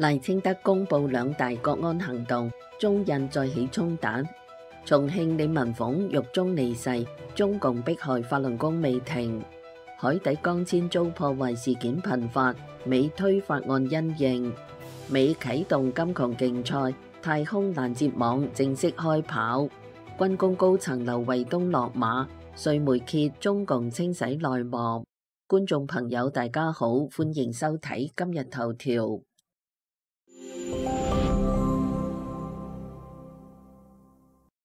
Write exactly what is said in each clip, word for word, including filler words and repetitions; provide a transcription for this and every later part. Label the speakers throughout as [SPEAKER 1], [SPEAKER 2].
[SPEAKER 1] 賴清德公布兩大國安行動，中印再起衝突。重慶李文鳳獄中離世，中共迫害法輪功未停。海底光纖遭破壞事件頻發，美推法案因應。美啟動金窮競賽，太空攔截網正式開跑。軍工高層劉衛東落馬，瑞媒揭中共清洗內幕。觀眾朋友大家好，歡迎收睇今日頭條。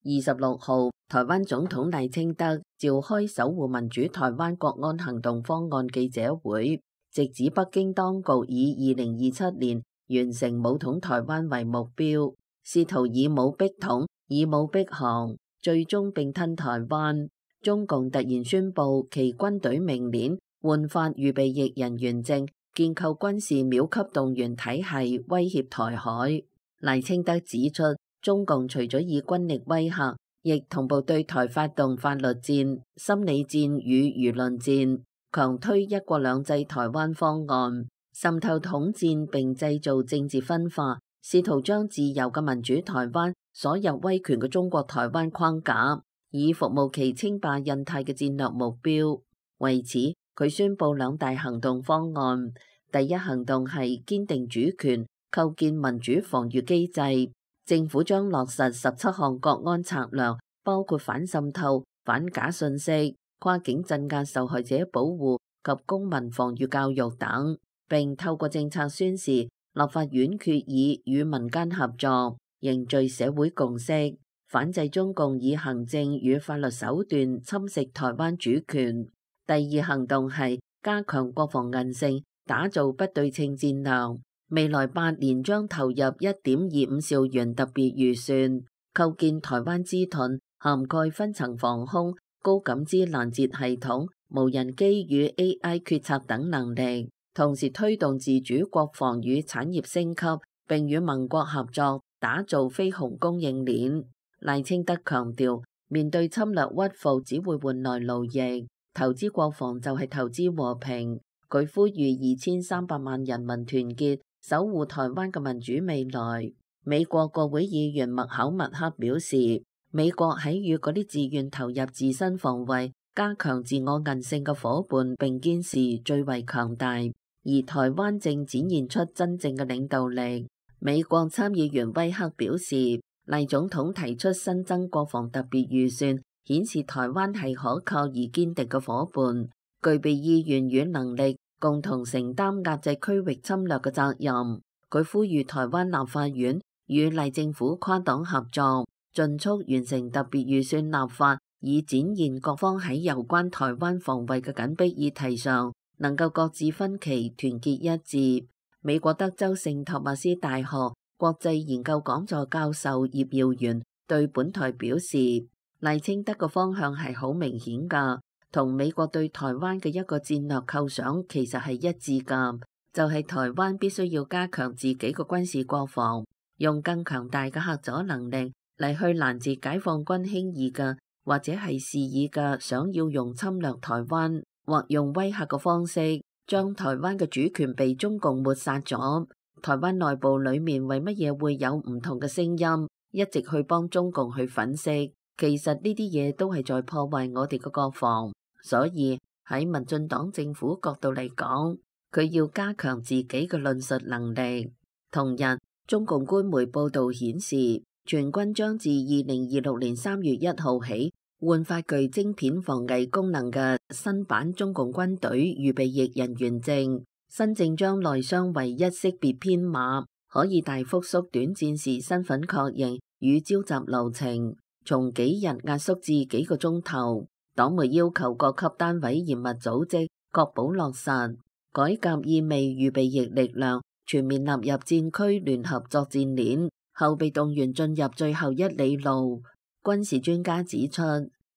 [SPEAKER 1] 二十六號，台灣總統賴清德召開守護民主台灣國安行動方案記者會，直指北京當局以二零二七年完成武統台灣為目標，試圖以武逼統、以武逼降，最終併吞台灣。中共突然宣布其軍隊明年換發預備役人員證，建構軍事秒級動員體系，威脅台海。賴清德指出，中共除咗以軍力威嚇，亦同步對台發動法律戰、心理戰與輿論戰，強推一國兩制台灣方案，滲透統戰並製造政治分化，試圖將自由嘅民主台灣鎖入威權嘅中國台灣框架，以服務其稱霸印太嘅戰略目標。為此，佢宣布兩大行動方案。第一行動係堅定主權，構建民主防禦機制。政府將落實十七項國安策略，包括反滲透、反假信息、跨境鎮壓受害者保護及公民防禦教育等，並透過政策宣示、立法院決議與民間合作，凝聚社會共識，反制中共以行政與法律手段侵蝕台灣主權。第二行動係加強國防韌性，打造不對稱戰略。未來八年將投入一點二五兆元特別預算，構建台灣之盾，涵蓋分層防空、高感知攔截系統、無人機與 A I 決策等能力，同時推動自主國防與產業升級，並與盟國合作打造非鴻供應鏈。賴清德強調，面對侵略屈服只會換來奴役，投資國防就係投資和平。佢呼籲二千三百萬人民團結，守護台灣嘅民主未來。美國國會議員麥考默克表示，美國喺與嗰啲自願投入自身防衛、加強自我韌性嘅夥伴並肩時最為強大，而台灣正展現出真正嘅領導力。美國參議員威克表示，賴總統提出新增國防特別預算，顯示台灣係可靠而堅定嘅夥伴，具備意願與能力，共同承擔壓制區域侵略嘅責任。佢呼籲台灣立法院與賴政府跨黨合作，盡速完成特別預算立法，以展現各方喺有關台灣防衛嘅緊迫議題上能夠擱置分歧，團結一致。美國德州聖托馬斯大學國際研究講座教授葉耀元對本台表示，賴清德嘅方向係好明顯㗎，同美國對台灣嘅一個戰略構想其實係一致㗎，就係、是、台灣必須要加強自己嘅軍事國防，用更強大嘅嚇阻能力嚟去攔截解放軍輕易嘅或者係肆意嘅想要用侵略台灣或用威嚇嘅方式將台灣嘅主權被中共抹殺咗。台灣內部裡面為乜嘢會有唔同嘅聲音，一直去幫中共去粉飾，其實呢啲嘢都係在破壞我哋嘅國防。所以喺民進黨政府角度嚟講，佢要加強自己嘅論述能力。同日，中共官媒報導顯示，全軍將自二零二六年三月一號起換發具晶片防偽功能嘅新版中共軍隊預備役人員證。新證將內雙唯一識別編碼，可以大幅縮短戰時身份確認與召集流程，從幾日壓縮至幾個鐘頭。黨媒要求各級單位嚴密組織，確保落實改革，意味預備役力量全面納入戰區聯合作戰鏈，後備動員進入最後一里路。軍事專家指出，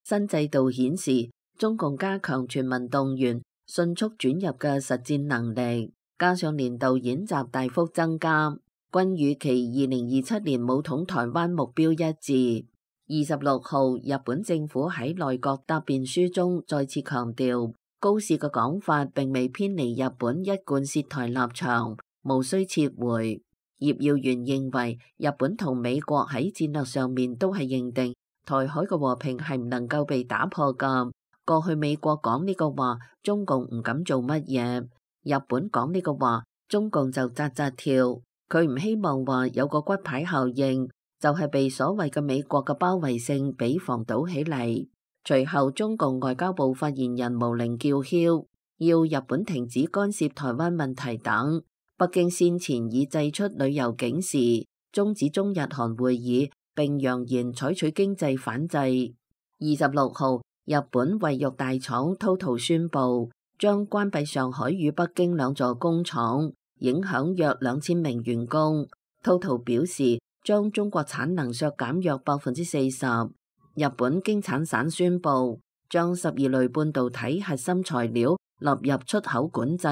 [SPEAKER 1] 新制度顯示中共加強全民動員、迅速轉入嘅實戰能力，加上年度演習大幅增加，均與其二零二七年武統台灣目標一致。二十六號，日本政府喺內閣答辯書中再次強調，高市嘅講法並未偏離日本一貫涉台立場，無需撤回。葉耀元認為，日本同美國喺戰略上面都係認定台海嘅和平係唔能夠被打破㗎。過去美國講呢個話，中共唔敢做乜嘢；日本講呢個話，中共就扎扎跳。佢唔希望話有個骨牌效應，就係被所謂嘅美國嘅包圍性俾防堵起嚟。隨後中共外交部發言人毛寧叫囂，要日本停止干涉台灣問題等。北京先前已祭出旅遊警示，終止中日韓會議，並揚言採取經濟反制。二十六號，日本衛浴大廠 Toto 宣布將關閉上海與北京兩座工廠，影響約兩千名員工。Toto 表示將中國產能削減約百分之四十。日本經產省宣布將十二類半導體核心材料納入出口管制，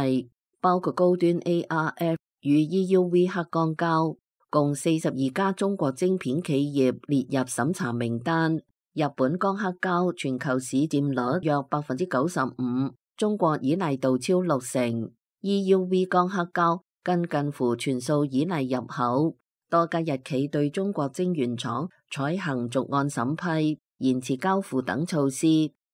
[SPEAKER 1] 包括高端 A R F 與 E U V 黑鋼膠，共四十二家中國晶片企業列入審查名單。日本光刻膠全球市佔率約百分之九十五，中國依賴度超六成。E U V 光刻膠更近乎全數依賴入口。多家日企對中國晶圓廠採行逐案審批、延遲交付等措施，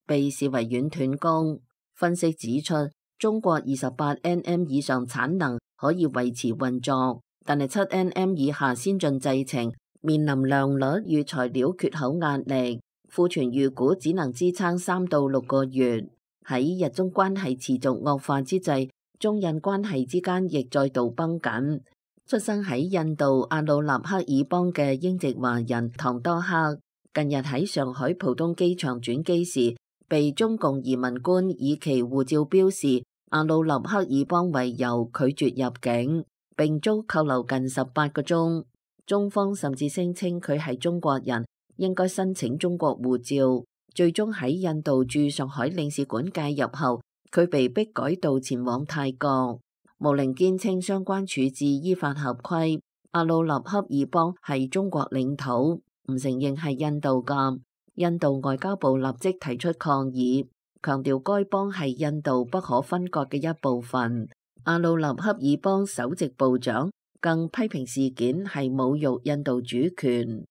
[SPEAKER 1] 被視為軟斷供。分析指出，中國二十八 N M 以上產能可以維持運作，但係七 N M 以下先進製程面臨良率與材料缺口壓力，庫存預估只能支撐三到六個月。喺日中關係持續惡化之際，中印關係之間亦再度繃緊。出生喺印度阿魯納克爾邦嘅英籍華人唐多克，近日喺上海浦東機場轉機時，被中共移民官以其護照標示阿魯納克爾邦為由拒絕入境，並遭扣留近十八個鐘。中方甚至聲稱佢係中國人，應該申請中國護照。最終喺印度駐上海領事館介入後，佢被迫改道前往泰國。毛寧堅稱相關處置依法合規，阿魯納克爾邦係中國領土，唔承認係印度㗎。印度外交部立即提出抗議，強調該邦係印度不可分割嘅一部分。阿魯納克爾邦首席部長更批評事件係侮辱印度主權。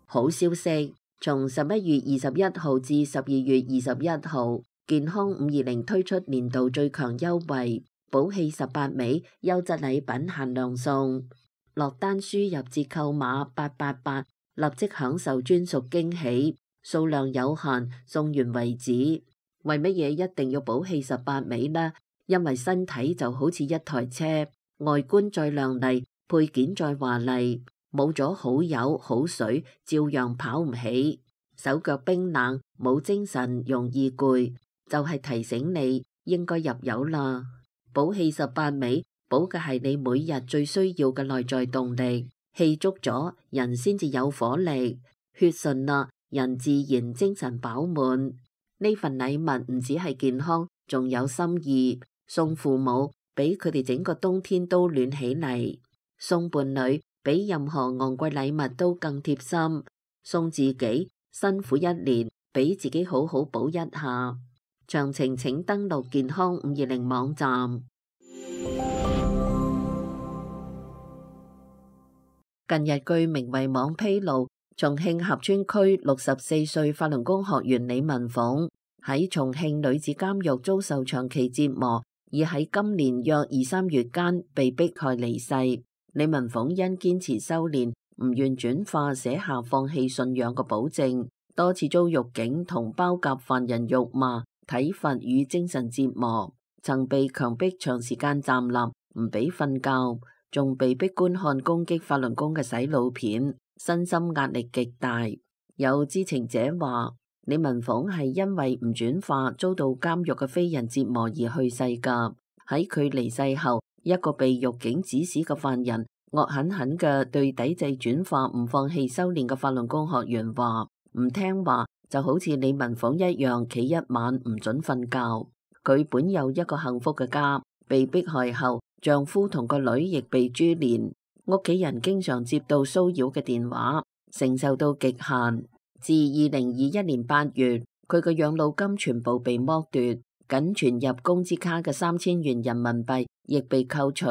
[SPEAKER 1] 好消息，從十一月二十一號至十二月二十一號，健康五二零推出年度最強優惠，寶氣十八味優質禮品限量送，落單輸入折扣碼八八八，立即享受專屬驚喜，數量有限，送完為止。為乜嘢一定要寶氣十八味呢？因為身體就好似一台車，外觀再亮麗，配件再華麗，冇咗好油好水，照樣跑唔起，手腳冰冷，冇精神，容易攰。就係提醒你應該入油啦。寶氣十八味補嘅係你每日最需要嘅內在動力，氣足咗人先至有火力，血順啦人自然精神飽滿。呢份禮物唔止係健康，仲有心意，送父母俾佢哋整個冬天都暖起嚟，送伴侶比任何昂貴禮物都更貼心，送自己辛苦一年，俾自己好好補一下。詳情請登錄健康五二零網站。近日據明慧網披露，重慶合川區六十四歲法輪功學員李文鳳喺重慶女子監獄遭受長期折磨，而喺今年約二三月間被迫害離世。李文鳳因堅持修煉，唔願轉化，寫下放棄信仰嘅保證，多次遭獄警同包夾犯人辱罵、體罰與精神折磨，曾被強迫長時間站立，唔俾瞓覺，仲被迫觀看攻擊法輪功嘅洗腦片，身心壓力極大。有知情者話，李文鳳係因為唔轉化，遭到監獄嘅非人折磨而去世噶。喺佢離世後，一個被獄警指使嘅犯人惡狠狠嘅對抵制轉化、唔放棄修煉嘅法輪功學員話，唔聽話就好似李文鳳一樣，企一晚唔准瞓覺。佢本有一個幸福嘅家，被迫害後，丈夫同個女亦被株連，屋企人經常接到騷擾嘅電話，承受到極限。自二零二一年八月，佢嘅養老金全部被剝奪，僅存入工資卡嘅三千元人民幣亦被扣除，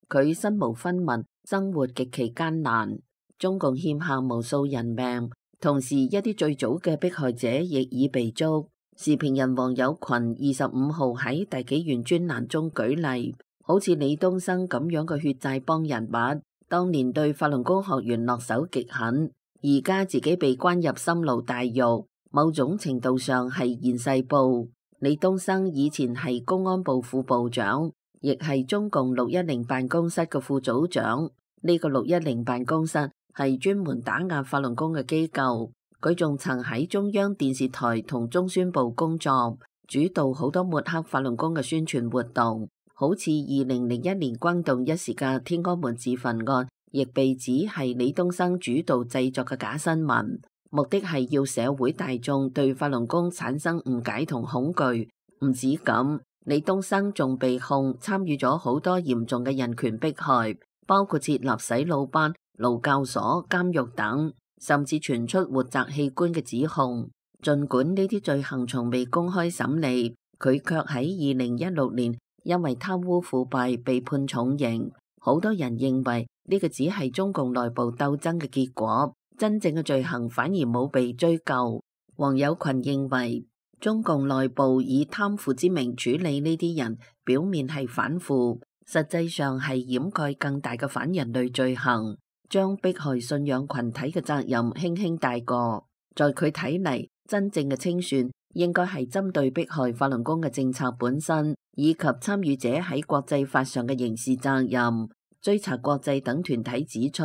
[SPEAKER 1] 佢身無分文，生活極其艱難。中共欠下無數人命，同時一啲最早嘅迫害者亦已被捉。時評人王友群二十五號喺大紀元專欄中舉例，好似李東生咁樣嘅血債幫人物，當年對法輪功學員落手極狠，而家自己被關入深牢大獄，某種程度上係現世報。李東生以前係公安部副部長，亦係中共六一零辦公室嘅副組長。呢個六一零辦公室係專門打壓法輪功嘅機構，佢仲曾喺中央電視台同中宣部工作，主導好多抹黑法輪功嘅宣傳活動，好似二零零一年轟動一時嘅天安門自焚案，亦被指係李東生主導製作嘅假新聞，目的係要社會大眾對法輪功產生誤解同恐懼。唔止咁，李東生仲被控參與咗好多嚴重嘅人權迫害，包括設立洗腦班、勞教所、監獄等，甚至傳出活摘器官嘅指控。儘管呢啲罪行從未公開審理，佢卻喺二零一六年因為貪污腐敗被判重刑。好多人認為呢個只係中共內部鬥爭嘅結果，真正嘅罪行反而冇被追究。王友群認為，中共內部以貪腐之名處理呢啲人，表面係反腐，實際上係掩蓋更大嘅反人類罪行，將迫害信仰群體嘅責任輕輕帶過。在佢睇嚟，真正嘅清算應該係針對迫害法輪功嘅政策本身，以及參與者喺國際法上嘅刑事責任。追查國際等團體指出，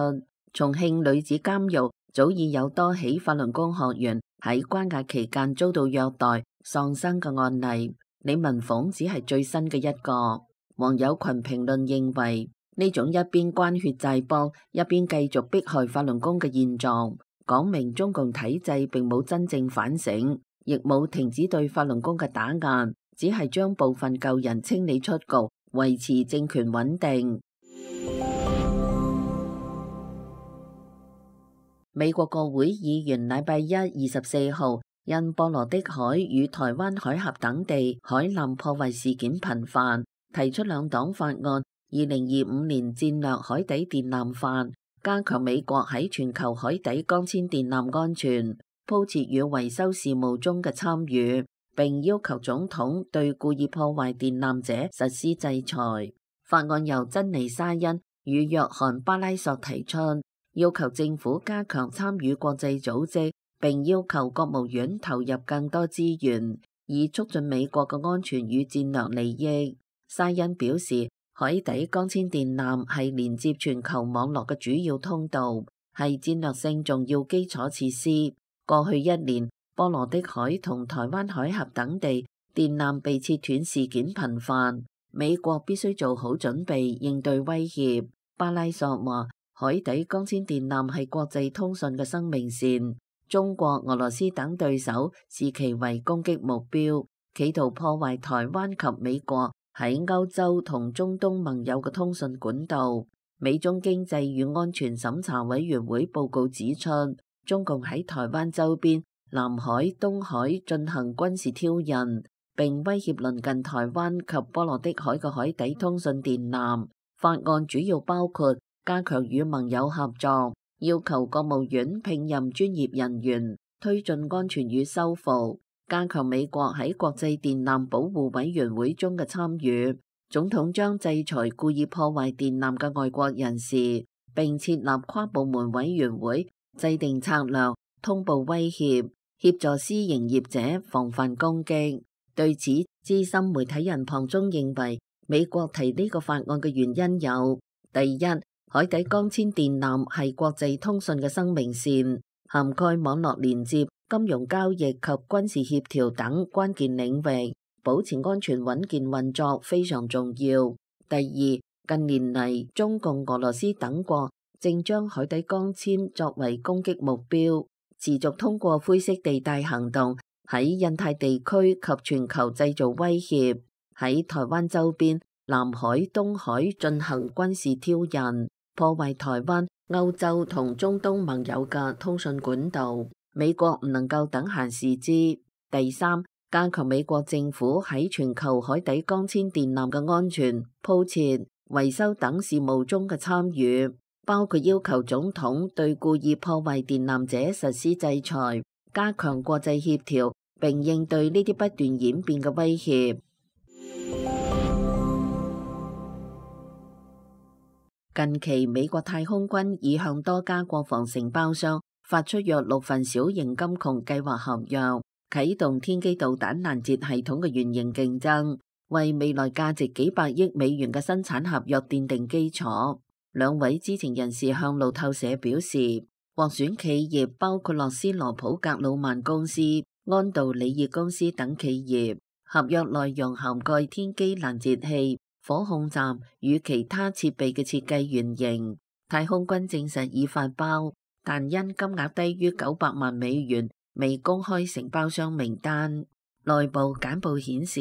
[SPEAKER 1] 重慶女子監獄早已有多起法輪功學員喺關押期間遭到虐待喪生嘅案例，李文鳳只係最新嘅一個。王友群評論認為，呢種一邊關血債幫，一邊繼續迫害法輪功嘅現狀，講明中共體制並冇真正反省，亦冇停止對法輪功嘅打壓，只係將部分舊人清理出局，維持政權穩定。美國國會議員禮拜一二十四號因波羅的海與台灣海峽等地海艦破壞事件頻繁，提出兩黨法案《二零二五年戰略海底電纜法》，加強美國喺全球海底光纖電纜安全、鋪設與維修事務中嘅參與，並要求總統對故意破壞電纜者實施制裁。法案由珍妮沙恩與約翰巴拉索提出，要求政府加強參與國際組織，並要求國務院投入更多資源，以促進美國嘅安全與戰略利益。沙恩表示，海底光纖電纜係連接全球網絡嘅主要通道，係戰略性重要基礎設施。過去一年，波羅的海同台灣海峽等地電纜被切斷事件頻繁，美國必須做好準備應對威脅。巴拉索話，海底光纖電纜係國際通訊嘅生命線，中國、俄羅斯等對手視其為攻擊目標，企圖破壞台灣及美國喺歐洲同中東盟友嘅通訊管道。美中經濟與安全審查委員會報告指出，中共喺台灣周邊、南海、東海進行軍事挑釁，並威脅鄰近台灣及波羅的海嘅海底通訊電纜。法案主要包括加強與盟友合作，要求國務院聘任專業人員，推進安全與修復，加強美國喺國際電纜保護委員會中嘅參與。總統將制裁故意破壞電纜嘅外國人士，並設立跨部門委員會，制定策略，通報威脅，協助私營業者防範攻擊。對此，資深媒體人龐中認為，美國提呢個法案嘅原因有：第一，海底光纖電纜係國際通訊嘅生命線，涵蓋網絡連接、金融交易及軍事協調等關鍵領域，保持安全穩健運作非常重要。第二，近年嚟，中共、俄羅斯等國正將海底光纖作為攻擊目標，持續通過灰色地帶行動喺印太地區及全球製造威脅，喺台灣周邊、南海、東海進行軍事挑釁，破壞台灣、歐洲同中東盟友嘅通訊管道。美國唔能夠等閒視之。第三，加強美國政府喺全球海底光纖電纜嘅安全、鋪設、維修等事務中嘅參與，包括要求總統對故意破壞電纜者實施制裁，加強國際協調，並應對呢啲不斷演變嘅威脅。近期，美國太空軍已向多家國防承包商發出約六份小型金窮計劃合約，啟動天基導彈攔截系統嘅原型競爭，為未來價值幾百億美元嘅生產合約奠定基礎。兩位知情人士向路透社表示，獲選企業包括洛斯羅普格魯曼公司、安道里爾公司等企業，合約內容涵蓋天基攔截器、火控站與其他設備嘅設計原型。太空軍證實已發包，但因金額低於九百萬美元，未公開承包商名單。內部簡報顯示，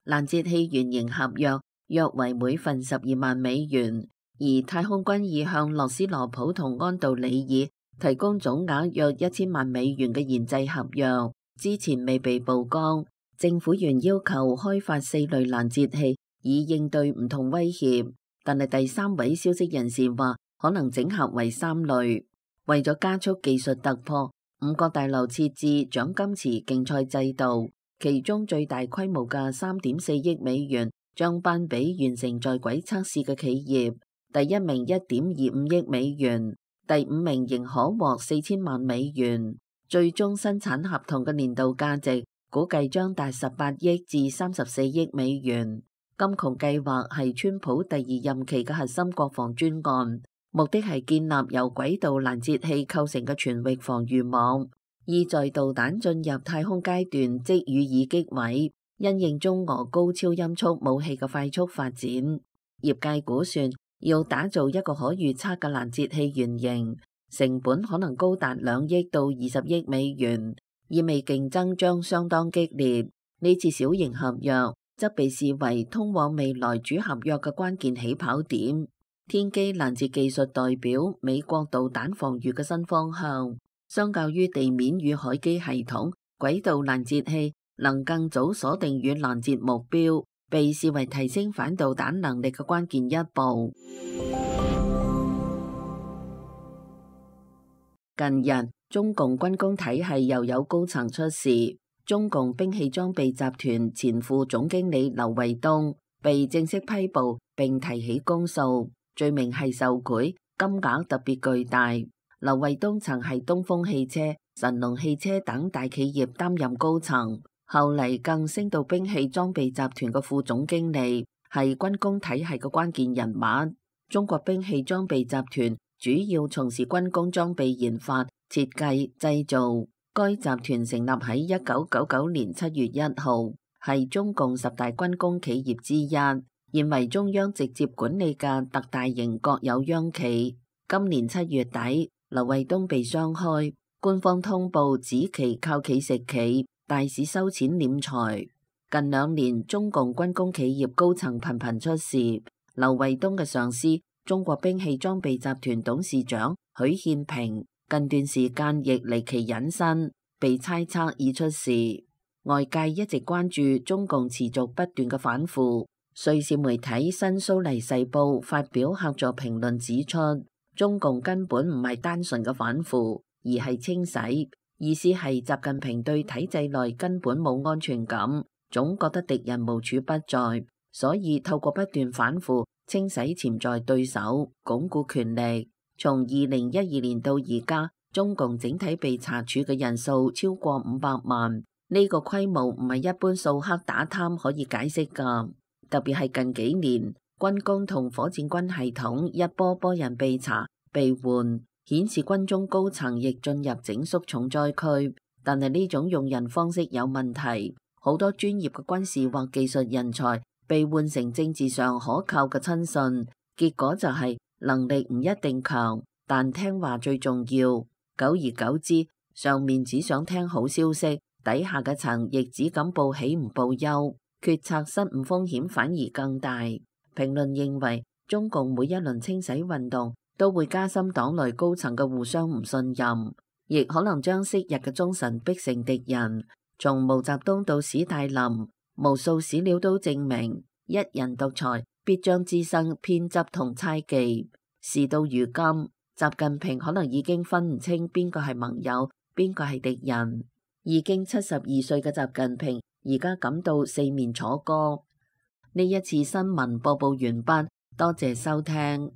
[SPEAKER 1] 攔截器原型合約約為每份十二萬美元，而太空軍已向洛斯羅普同安道里爾提供總額約一千萬美元嘅研製合約，之前未被曝光。政府原要求開發四類攔截器，以應對唔同威脅，但係第三位消息人士話可能整合為三類。為咗加速技術突破，五角大樓設置獎金池競賽制度，其中最大規模嘅三點四億美元將頒俾完成在軌測試嘅企業，第一名一點二五億美元，第五名仍可獲四千萬美元。最終生產合同嘅年度價值估計將達十八億至三十四億美元。金窮計劃係川普第二任期嘅核心國防專案，目的係建立由軌道攔截器構成嘅全域防禦網，意在導彈進入太空階段即予以擊毀。因應中俄高超音速武器嘅快速發展，業界估算要打造一個可預測嘅攔截器原型，成本可能高達兩億到二十億美元，意味競爭將相當激烈。呢次小型合約則被視為通往未來主合約嘅關鍵起跑點。天基攔截技術代表美國導彈防禦嘅新方向，相較於地面與海基系統，軌道攔截器能更早鎖定與攔截目標，被視為提升反導彈能力嘅關鍵一步。近日，中共軍工體系又有高層出事。中共兵器裝備集團前副總經理劉衛東被正式批捕並提起公訴，罪名係受賄，金額特別巨大。劉衛東曾係東風汽車、神龍汽車等大企業擔任高層，後嚟更升到兵器裝備集團嘅副總經理，係軍工體系嘅關鍵人物。中國兵器裝備集團主要從事軍工裝備研發、設計、製造。該集團成立喺一九九九年七月一號，係中共十大軍工企業之一，現為中央直接管理嘅特大型國有央企。今年七月底，劉衛東被雙開，官方通報指其靠企食企，大肆收錢斂財。近兩年，中共軍工企業高層頻頻出事。劉衛東嘅上司，中國兵器裝備集團董事長許憲平，近段時間亦離奇隱身，被猜測已出事。外界一直關注中共持續不斷嘅反腐。瑞士媒體新蘇黎世報發表客座評論指出，中共根本唔係單純嘅反腐，而係清洗。意思係習近平對體制內根本冇安全感，總覺得敵人無處不在，所以透過不斷反腐清洗潛在對手，鞏固權力。從二零一二年到而家，中共整體被查處嘅人數超過五百萬，呢個規模唔係一般掃黑打貪可以解釋㗎。特別係近幾年，軍工同火箭軍系統一波波人被查被換，顯示軍中高層亦進入整肅重災區。但係呢種用人方式有問題，好多專業嘅軍事或技術人才被換成政治上可靠嘅親信，結果就係、是能力唔一定強，但聽話最重要。久而久之，上面只想聽好消息，底下嘅層亦只敢報喜唔報憂，決策失誤風險反而更大。評論認為，中共每一輪清洗運動都會加深黨內高層嘅互相唔信任，亦可能將昔日嘅忠臣逼成敵人。從毛澤東到史太林，無數史料都證明，一人獨裁必將滋生偏執同猜忌。事到如今，習近平可能已經分唔清邊個係盟友，邊個係敵人。已經七十二歲嘅習近平，而家感到四面楚歌。呢一次新聞播報完畢，多謝收聽。